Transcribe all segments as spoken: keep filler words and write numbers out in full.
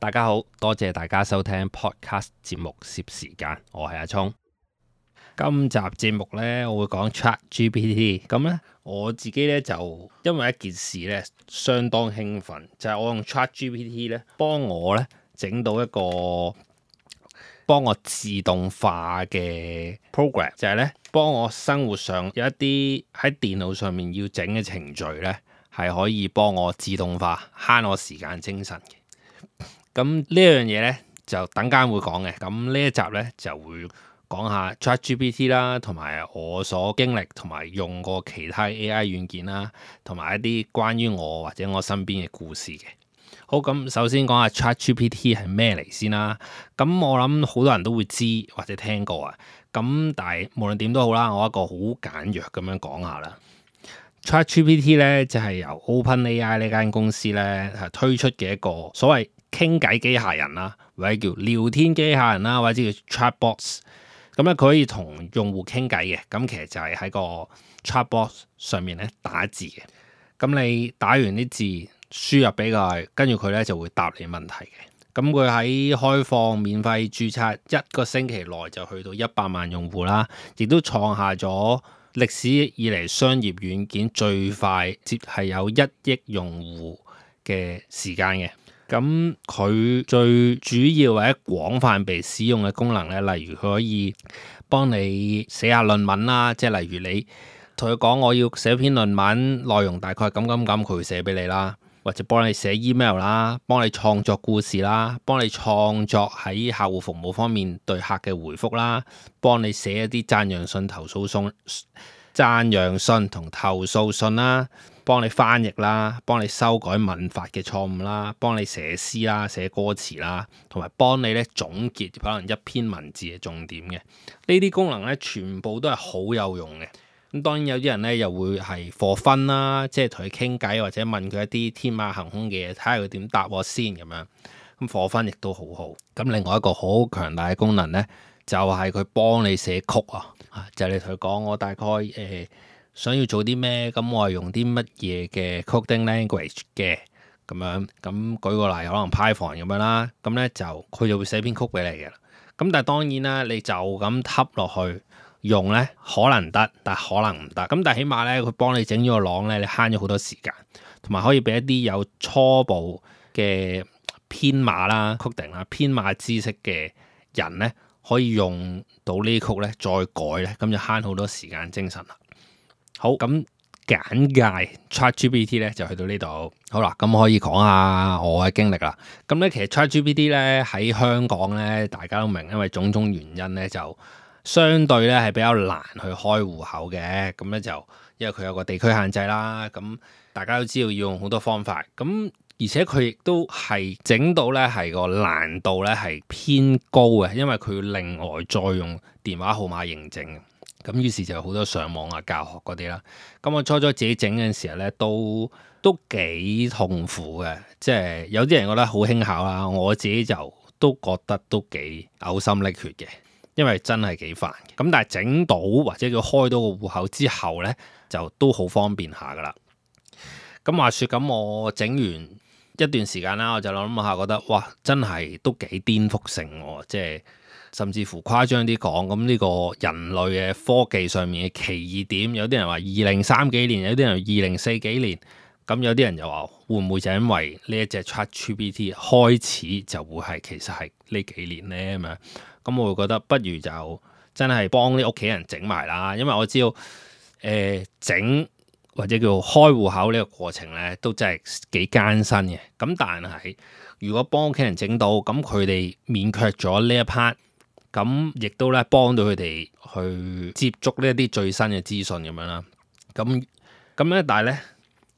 大家好，多謝大家收聽 Podcast 節目攝時間，我係阿聰。今集節目呢，我會講 ChatGPT。咁呢，我自己呢，就因為一件事呢，相當興奮，就係、是、我用 ChatGPT 呢幫我呢整到一個幫我自動化嘅 program，就係呢幫我生活上有一啲喺電腦上面要整嘅程序呢，係可以幫我自動化，慳我時間精神嘅。咁呢樣嘢呢，就等間會講嘅。咁呢一集呢，就會講下 ChatGPT 啦，同埋我所經歷同埋用過其他 A I 軟件啦，同埋一啲關於我或者我身邊嘅故事嘅。好，咁首先講下 ChatGPT 係咩嚟先啦。咁我諗好多人都會知或者聽過啊。咁但係無論點都好啦，我一個好簡約咁樣講下啦。ChatGPT 咧就係由 OpenAI 呢間公司咧係推出嘅一個所謂傾偈機械人啦，或者叫聊天機械人啦，或者叫 Chatbots。咁咧佢可以同用戶傾偈嘅。咁其實就係喺個 Chatbots 上面咧打字嘅。咁你打完啲字輸入俾佢，跟住佢咧就會答你問題嘅。咁佢喺開放免費註冊一個星期內就去到一百萬用戶啦，亦都創下咗歷史以嚟商業軟件最快接係有一億用戶嘅時間嘅。咁佢最主要或者廣泛被使用嘅功能咧，例如佢可以幫你寫下論文啦，即係例如你同佢講我要寫篇論文，內容大概咁咁咁，佢會寫俾你啦。或者幫你寫 email 啦，幫你創作故事啦，幫你創作喺客戶服務方面對客嘅回覆啦，幫你寫一啲讚揚信、投訴信、讚揚信同投訴信啦，幫你翻譯啦，幫你修改文法嘅錯誤啦，幫你寫詩啦、寫歌詞啦，同埋幫你咧總結可能一篇文字嘅重點嘅。呢啲功能咧全部都係好有用嘅。咁當然有啲人咧又會係課分啦，即係同佢傾偈或者問佢一啲天馬行空嘅嘢，睇下佢點答我先咁樣。咁課分亦都好好。咁另外一個好強大嘅功能咧，就係佢幫你寫曲啊，就係你同佢講我大概誒、呃、想要做啲咩，咁我係用啲乜嘢嘅 coding language 嘅咁樣。咁舉個例，可能 Python 咁樣啦，咁咧就佢就會寫篇曲俾你嘅。咁但係當然啦，你就咁揼落去用咧可能得，但係可能唔得。咁但係起碼咧，佢幫你整咗個廊咧，你慳咗好多時間，同埋可以俾一啲有初步嘅編碼啦、coding 啦、編碼知識嘅人咧，可以用到呢啲曲咧，再改咧，咁就慳好多時間精神啦。好，咁簡介 ChatGPT 咧就去到呢度。好啦，咁可以講下我嘅經歷啦。咁咧其實 ChatGPT 咧喺香港咧，大家都明，因為種種原因咧就相對咧係比較難去開戶口嘅。咁咧就因為佢有個地區限制啦，咁大家都知道要用好多方法，咁而且佢亦都係整到咧係個難度咧係偏高嘅，因為佢要另外再用電話號碼認證，咁於是就有好多上網啊教學嗰啲啦。咁我初初自己整嘅時候咧都都幾痛苦嘅，即係有啲人覺得好輕巧啦，我自己就都覺得都幾嘔心瀝血嘅。因為真係幾煩嘅，咁但係整到或者叫開到個戶口之後呢，就都好方便下噶啦。咁話說咁，我整完一段時間啦，我就諗下覺得哇，真係都幾顛覆性喎，即係甚至乎誇張啲講，咁呢個人類嘅科技上面嘅奇異點，有啲人話二零三幾年，有啲人二零四幾年，咁有啲人又話會唔會就因為呢一隻 ChatGPT 開始就會係其實係呢幾年呢？咁樣？咁我會覺得不如就真係幫啲屋企人整埋啦，因為我知道誒整、呃、或者叫開戶口呢個過程咧都真係幾艱辛嘅。咁但係如果幫屋企人整到，咁佢哋免卻咗呢一 part，咁亦都咧幫到佢哋去接觸呢一啲最新嘅資訊咁樣啦。咁咁咧，但係咧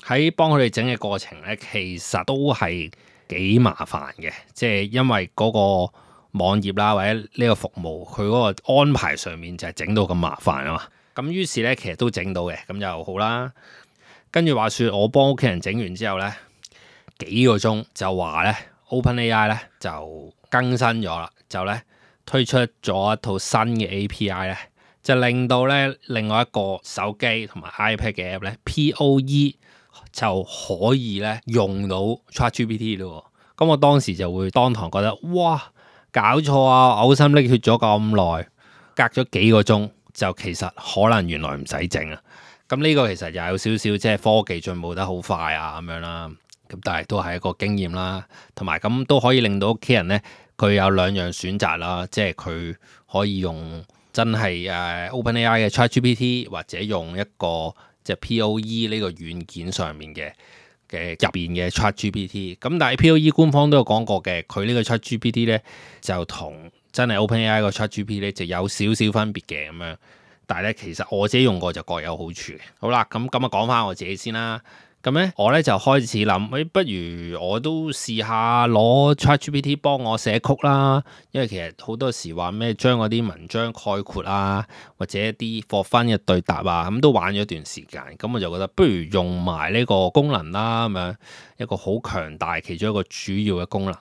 喺幫佢哋整嘅過程咧，其實都係幾麻煩嘅，即係因為嗰、嗰個網頁啦，或者呢個服務，佢嗰個安排上面就係整到咁麻煩啊嘛。咁於是咧，其實都整到嘅，咁就好啦。跟住話說，我幫屋企人整完之後咧，幾個鐘就話咧 ，OpenAI 咧就更新咗啦，就咧推出咗一套新嘅 A P I 咧，就令到咧另外一個手機同埋 iPad 嘅 app 咧 P O E 就可以咧用到 ChatGPT 咯。咁我當時就會當堂覺得哇，搞錯啊，嘔心瀝血咗咁耐，隔咗幾個鐘就其實可能原來唔使整啊。咁呢個其實又有少少即係科技進步得好快啊咁樣啦。咁但係都係一個經驗啦，同埋咁都可以令到屋企人咧，佢有兩樣選擇啦，即係佢可以用真係誒 OpenAI 嘅 ChatGPT， 或者用一個即係 P O E 呢個軟件上面嘅嘅入邊嘅 ChatGPT。咁但係 P O E 官方都有講過嘅，佢呢個 ChatGPT 咧就同真係 OpenAI 個 ChatGPT 咧就有少少分別嘅咁樣。但係咧其實我自己用過就各有好處嘅。好啦，咁咁啊講翻我自己先啦。咁咧，我咧就開始諗，誒，不如我都試下攞 ChatGPT 幫我寫曲啦。因為其實好多時話咩將嗰啲文章概括啊，或者一啲for fun嘅對答啊，咁都玩咗一段時間。咁我就覺得不如用埋呢個功能啦，咁樣一個好強大其中一個主要嘅功能。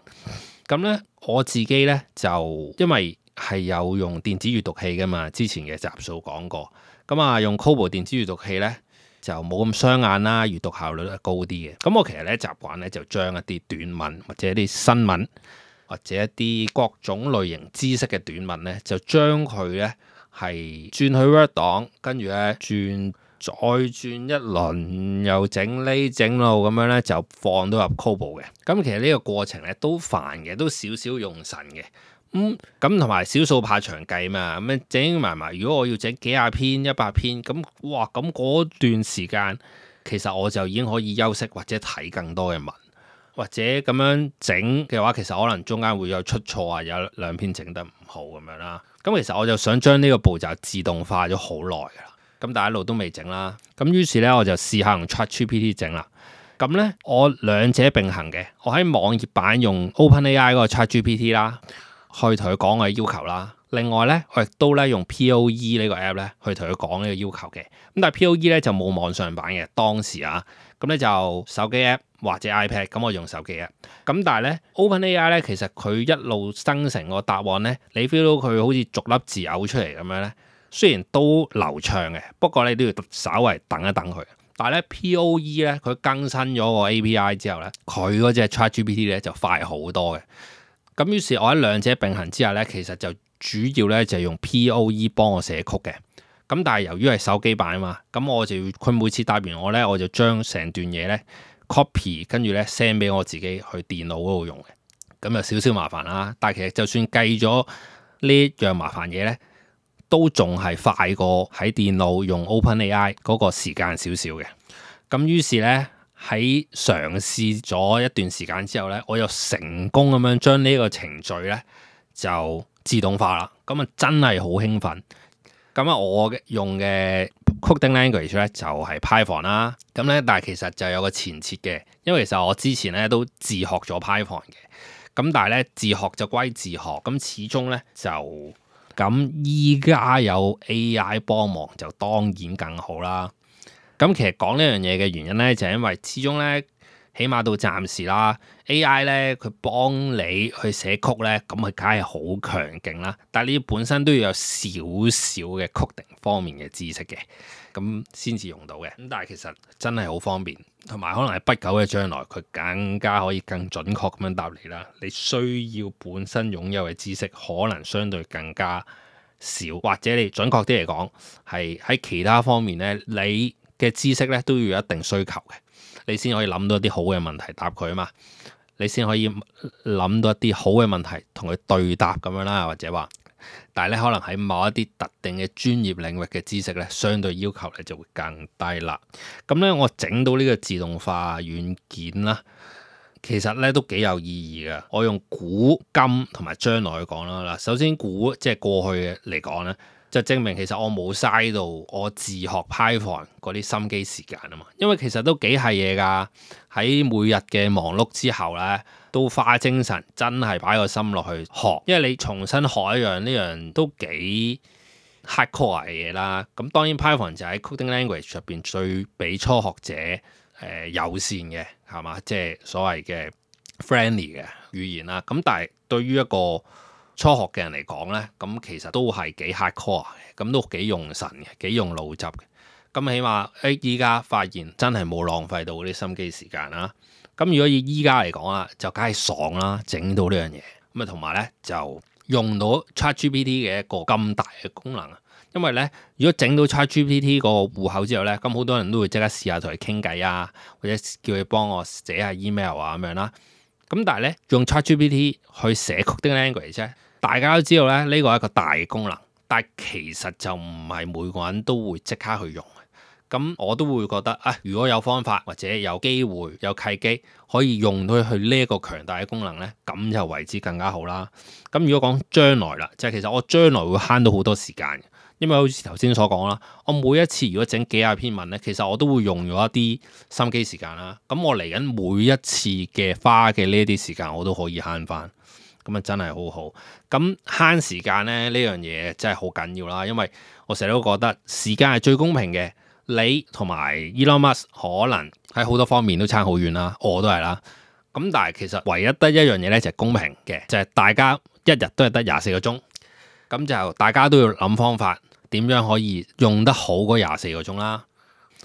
咁咧我自己咧就因為係有用電子閱讀器噶嘛，之前嘅集數講過。咁啊，用 Kobo 電子閱讀器咧，就冇咁傷眼啦，閱讀效率係高啲嘅。咁我其實咧習慣咧就將一啲短文或者一啲新聞或者一啲各種類型知識嘅短文咧，就將佢咧係轉去 Word 檔，跟住咧轉再轉一輪，又整呢整路咁樣咧，就放到入 Kobo 嘅。咁其實呢個過程咧都煩嘅，都少少用神嘅。咁咁同埋少數怕長計嘛，咁樣整埋埋。如果我要整幾廿篇、一百篇，咁哇，咁嗰段時間其實我就已經可以休息或者睇更多嘅文，或者咁樣整嘅話，其實可能中間會有出錯啊，有兩篇整得唔好咁樣啦。咁其實我就想將呢個步驟自動化咗好耐噶啦，咁但係一路都未整啦。咁於是咧我就試下用 ChatGPT 整啦。咁咧我兩者並行嘅，我喺網頁版用 OpenAI 嗰個 ChatGPT 啦。去同佢講我嘅要求啦。另外咧，我亦都咧用 P O E 呢個 app 咧去同佢講呢個要求嘅。咁但係 P O E 咧就冇網上版嘅當時啊。咁咧就手機 app 或者 iPad。咁我用手機 app。咁但係咧 OpenAI 咧其實佢一路生成個答案咧，你 feel 到佢好似逐粒字嘔出嚟咁樣咧。雖然都流暢嘅，不過你都要稍為等一等佢。但係咧 P O E 咧佢更新咗個 A P I 之後咧，佢嗰隻 ChatGPT 咧就快好多嘅。咁於是，我喺兩者並行之下咧，其實就主要咧就係用 P O E 幫我寫曲嘅。咁但係由於係手機版啊嘛，咁我就要佢每次答完我咧，我就將成段嘢咧 copy，跟住咧 send 俾我自己去電腦嗰度用嘅。咁就少少麻煩啦。但係其實就算計咗呢樣麻煩嘢咧，都仲係快過喺電腦用 OpenAI 嗰個時間少少嘅。咁於是咧。喺嘗試咗一段時間之後咧，我又成功咁樣將呢個程序咧就自動化啦。咁啊真係好興奮。咁啊我用嘅 coding language 咧就係 Python 啦。咁咧但係其實就有個前設嘅，因為其實我之前咧都自學咗 Python 嘅。咁但係咧自學就歸自學，咁始終咧就咁依家有 A I 幫忙就當然更好啦。咁其實講呢樣嘢嘅原因咧，就係因為始終咧，起碼到暫時啦 ，A I 咧佢幫你去寫曲咧，咁佢梗係好強勁啦。但係你本身都要有少少嘅 coding 方面嘅知識嘅，咁先至用到嘅。咁但係其實真係好方便，同埋可能係不久嘅將來，佢更加可以更準確咁樣答你啦。你需要本身擁有嘅知識，可能相對更加少，或者你準確啲嚟講，係喺其他方面咧，你嘅知識咧都要有一定需求嘅，你先可以諗到一啲好嘅問題答佢啊嘛，你先可以諗到一啲好嘅問題同佢對答咁樣啦，或者話，但係咧可能喺某一啲特定嘅專業領域嘅知識咧，相對要求咧就會更低啦。咁咧我整到呢個自動化軟件啦，其實咧都幾有意義嘅。我用古今同埋將來去講啦。嗱，首先古即係過去嘅嚟講咧，就證明其實我冇嘥到我自學 Python 嗰啲心機時間啊嘛，因為其實都幾係嘢㗎。喺每日嘅忙碌之後咧，都花精神真係擺個心落去學，因為你重新學一樣呢樣都幾 hardcore 嘅嘢啦。咁當然 Python 就喺 coding language 入邊最俾初學者誒、呃、友善嘅係嘛，即係所謂嘅 friendly 嘅語言啦。咁但係對於一個初學嘅人嚟講咧，咁其實都係幾 hardcore 嘅，咁都幾用神嘅，幾用腦汁嘅。咁起碼誒依家發現真係冇浪費到嗰啲心機時間啦。咁如果以依家嚟講啦，就梗係爽啦，整到呢樣嘢。咁啊同埋咧就用到 ChatGPT 嘅一個咁大嘅功能啊。因為咧，如果整到 ChatGPT 個戶口之後咧，咁好多人都會即刻試下同佢傾偈啊，或者叫佢幫我寫下 email 啊咁樣啦。咁但係咧，用 ChatGPT 去寫 coding language 啫，大家都知道咧，呢個係一個大嘅功能，但係其實就唔係每個人都會即刻去用。咁我都會覺得啊，如果有方法或者有機會有契機可以用到佢呢一個強大嘅功能咧，咁就為之更加好啦。咁如果講將來啦，就係其實我將來會慳到好多時間，因為好似頭先所講啦，我每一次如果整幾廿篇文咧，其實我都會用咗一啲心機時間啦。咁我嚟緊每一次嘅花嘅呢啲時間，我都可以慳翻，咁啊真係好好。咁慳時間咧呢樣嘢真係好緊要啦，因為我成日都覺得時間係最公平嘅。你同埋 Elon Musk 可能喺好多方面都差好遠啦，我都係啦。咁但係其實唯一得一樣嘢咧就係公平嘅，就係大家一日都係得廿四個鐘，咁就大家都要諗方法點樣可以用得好嗰廿四個鐘啦。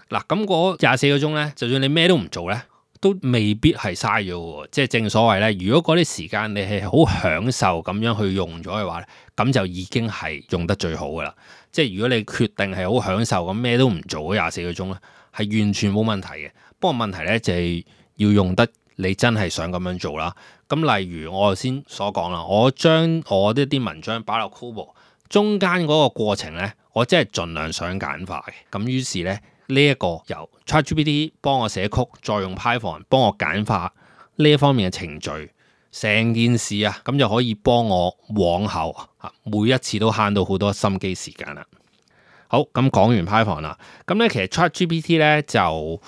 嗱，咁嗰廿四個鐘咧，就算你咩都唔做咧，都未必係嘥咗喎。即係正所謂咧，如果嗰啲時間你係好享受咁樣去用咗嘅話咧，咁就已經係用得最好噶啦。即係如果你決定係好享受咁咩都唔做嗰廿四個鐘咧，係完全冇問題嘅。不過問題咧就係要用得你真係想咁樣做啦。咁例如我頭先所講啦，我將我呢啲文章擺落 Kobo 中間嗰個過程咧，我真係盡量想簡化嘅。咁於是咧呢一個由 ChatGPT 幫我寫曲，再用 Python 幫我簡化呢一方面嘅程序。成件事啊，咁就可以幫我往後啊，每一次都慳到好多心機時間啦。好，咁講完 Python 啦，咁咧其實 ChatGPT 咧就，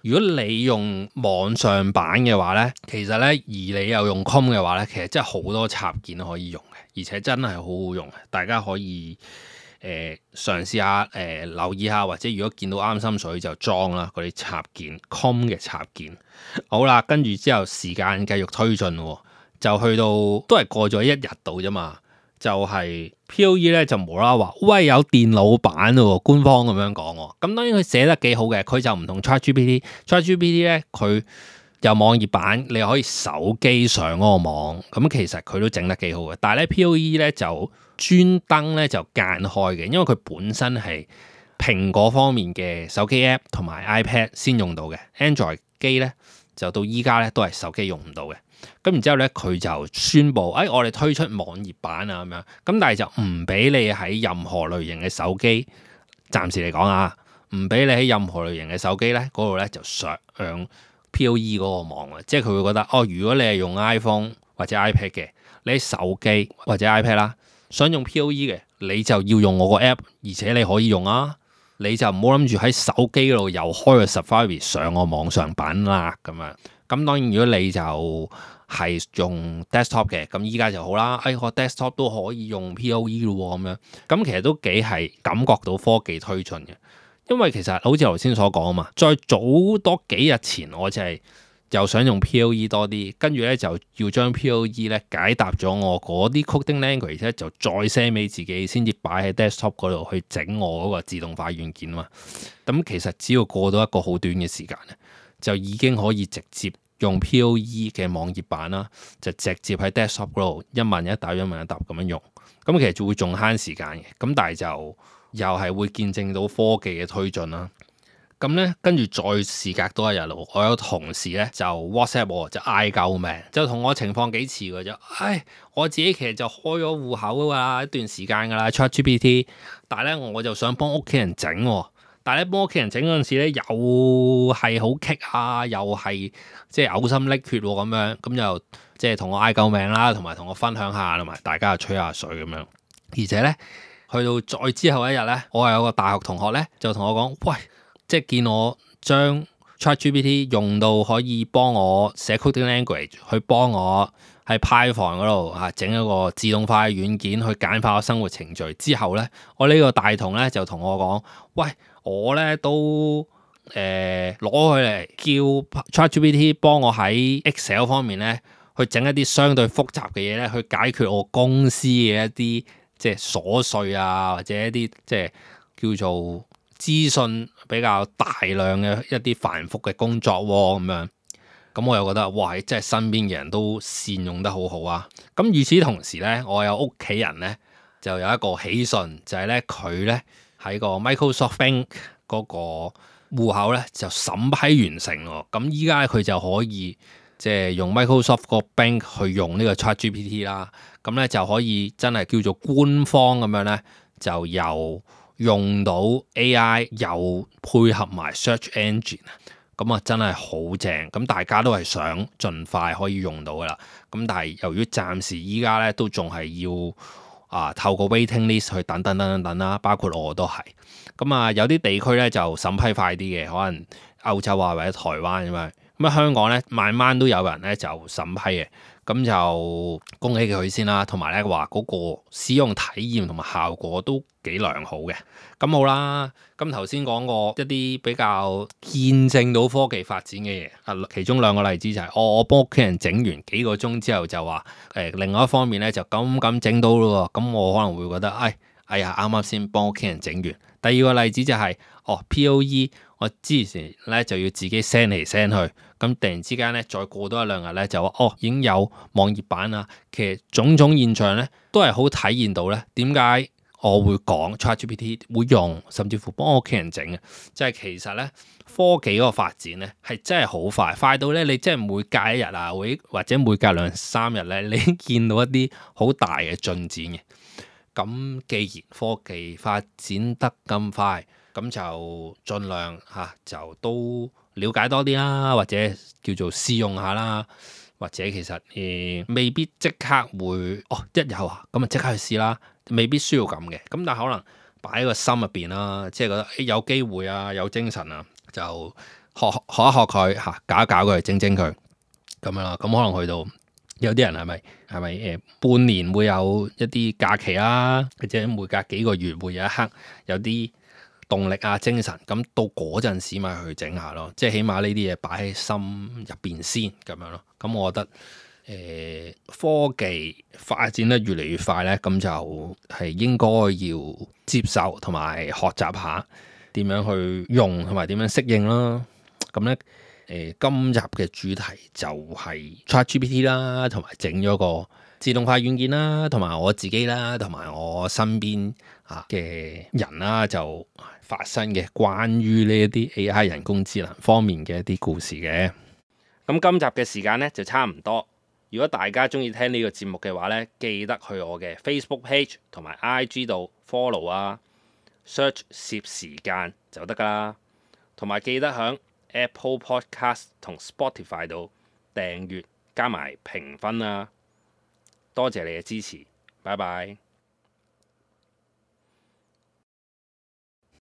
如果你用網上版嘅話咧，其實咧而你又用 Chrome 嘅話咧，其實真係好多插件可以用嘅，而且真係好好用嘅，大家可以誒嘗試下誒、呃、留意下，或者如果見到啱心水就裝啦嗰啲插件 Chrome 嘅插件。好啦，跟住之後時間繼續推進喎。就去到都係過咗一日度啫嘛，就係、是、P O E 咧就無啦啦話，喂有電腦版喎，官方咁樣講喎。咁當然佢寫得幾好嘅，佢就唔同 ChatGPT，ChatGPT 咧佢有網頁版，你可以手機上嗰個網，咁其實佢都整得幾好嘅。但係咧 P O E 咧就專登咧就間開嘅，因為佢本身係蘋果方面嘅手機 App 同埋 iPad 先用到嘅 ，Android 機咧就到依家咧都係手機用唔到嘅。咁然之後咧，佢就宣布，誒、哎，我哋推出網頁版啊，咁樣，咁但係就唔俾你喺任何類型嘅手機，暫時嚟講啊，唔俾你喺任何類型嘅手機咧嗰度咧就上 P O E 嗰個網啊，即係佢會覺得，哦，如果你係用 iPhone 或者 iPad 嘅，你喺手機或者 iPad 啦，想用 P O E 嘅，你就要用我個 app，而且你可以用啊，你就唔好諗住喺手機嗰度又開個 Safari 上個網上版啦，咁樣。咁當然，如果你就係用 desktop 嘅，咁依家就好啦。哎，我 desktop 都可以用 P O E 咯，咁樣咁其實都幾係感覺到科技推進嘅。因為其實好似頭先所講啊嘛，再早多幾日前，我就係又想用 P O E 多啲，跟住咧就要將 P O E 咧解答咗我嗰啲 coding language 咧，就再 send 俾自己，先至擺喺 desktop 嗰度去整我嗰個自動化軟件啊嘛。咁其實只要過到一個好短嘅時間咧，就已經可以直接用 P O E 嘅網頁版啦，就直接喺 desktop 嗰度一問一答一問一答咁樣用，咁其實就會仲慳時間嘅，咁但係就又係會見證到科技嘅推進啦。咁咧跟住再事隔多一日咯，我有同事咧就 WhatsApp 我就嗌救命，就同我情況幾似嘅啫。唉，我自己其實就開咗戶口㗎啦，一段時間㗎啦 ChatGPT， 但係咧我就想幫屋企人整喎。但係咧幫屋企人整嗰陣時咧，又係好棘啊，又係即係嘔心瀝血咁樣，咁就即係同我嗌救命啦，同埋同我分享下，同埋大家吹下水咁樣。而且咧，去到再之後一日咧，我係有個大學同學咧，就同我講，喂，即係見我將 ChatGPT 用到可以幫我寫 coding language，去幫我喺 Python 嗰度嚇整一個自動化嘅軟件去簡化我生活程序之後咧，我呢個大同咧就同我講，喂，我咧都誒攞佢嚟叫 ChatGPT 幫我喺 Excel 方面咧去整一啲相對複雜嘅嘢咧，去解決我公司嘅一啲即係瑣碎啊，或者一啲即係叫做資訊比較大量嘅一啲繁複嘅工作喎，咁樣。咁我又覺得哇，即係身邊嘅人都善用得好好啊！咁與此同時咧，我有屋企人咧就有一個喜訊，就係咧佢咧喺個 Microsoft Bank 嗰個戶口咧就審批完成咯。咁依家佢就可以即係用 Microsoft 個 Bank 去用呢個 ChatGPT 啦。咁咧就可以真係叫做官方咁樣咧，就又用到 A I，又配合埋 Search Engine。咁啊，真係好正！咁大家都係想盡快可以用到噶啦。咁但係由於暫時依家咧都仲係要啊透過 waiting list 去等等等等等啦，包括我都係。咁啊，有啲地區咧就審批快啲嘅，可能歐洲啊或者台灣咁樣。咁啊，香港咧慢慢都有人咧就審批嘅。咁就恭喜佢先啦，同埋咧話嗰個使用體驗同埋效果都幾良好嘅。咁好啦，咁頭先講過一啲比較見證到科技發展嘅嘢，啊，其中兩個例子就係、是、我我幫屋企人整完幾個鐘之後就話誒、呃，另外一方面咧就咁咁整到咯喎，咁我可能會覺得，哎哎呀，啱啱先幫屋企人整完。第二個例子就係、是、哦 P O E。我之前咧就要自己 send 嚟 send 去，咁突然之間咧再過多一兩日咧就話哦已經有網頁版啦。其實種種現象咧都係好體現到咧點解我會講 ChatGPT 會用，甚至乎幫我屋企人整嘅，即係其實咧科技嗰個發展咧係真係好快，快到咧你真係每隔一日啊，會或者每隔兩三日咧，你見到一啲好大嘅進展嘅。咁既然科技發展得咁快，咁就盡量嚇、啊、就都了解多啲啦，或者叫做試用下啦，或者其實誒、呃、未必即刻會哦一有啊咁啊即刻去試啦，未必需要咁嘅。咁但係可能擺喺個心入邊啦，即係覺得誒、欸、有機會啊，有精神啊，就學學一學佢嚇、啊，搞一搞佢，整整佢咁樣啦。咁可能去到有啲人係咪係咪誒半年會有一啲假期啦，或者每隔幾個月會有一刻有啲動力啊，精神，咁到嗰陣時咪去整下咯，即係起碼呢啲嘢擺喺心入邊先咁樣咯。咁我覺得誒、呃、科技發展得越嚟越快咧，咁就係應該要接受同埋學習下點樣去用同埋點樣適應啦。咁咧誒今集嘅主題就係 ChatGPT 啦，同埋整咗個自動化軟件啦，同埋我自己啦，同埋我身邊啊嘅人啦，就發生嘅關於呢一啲 A I 人工智能方面嘅一啲故事嘅。咁今集嘅時間咧就差唔多。如果大家中意聽呢個節目嘅話咧，記得去我嘅 Facebook page 同埋 I G 度 follow 啊 ，search 攝時間就得噶啦。同埋記得響 Apple Podcast 同 Spotify 度訂閱加埋評分啊！多謝你嘅支持，拜拜。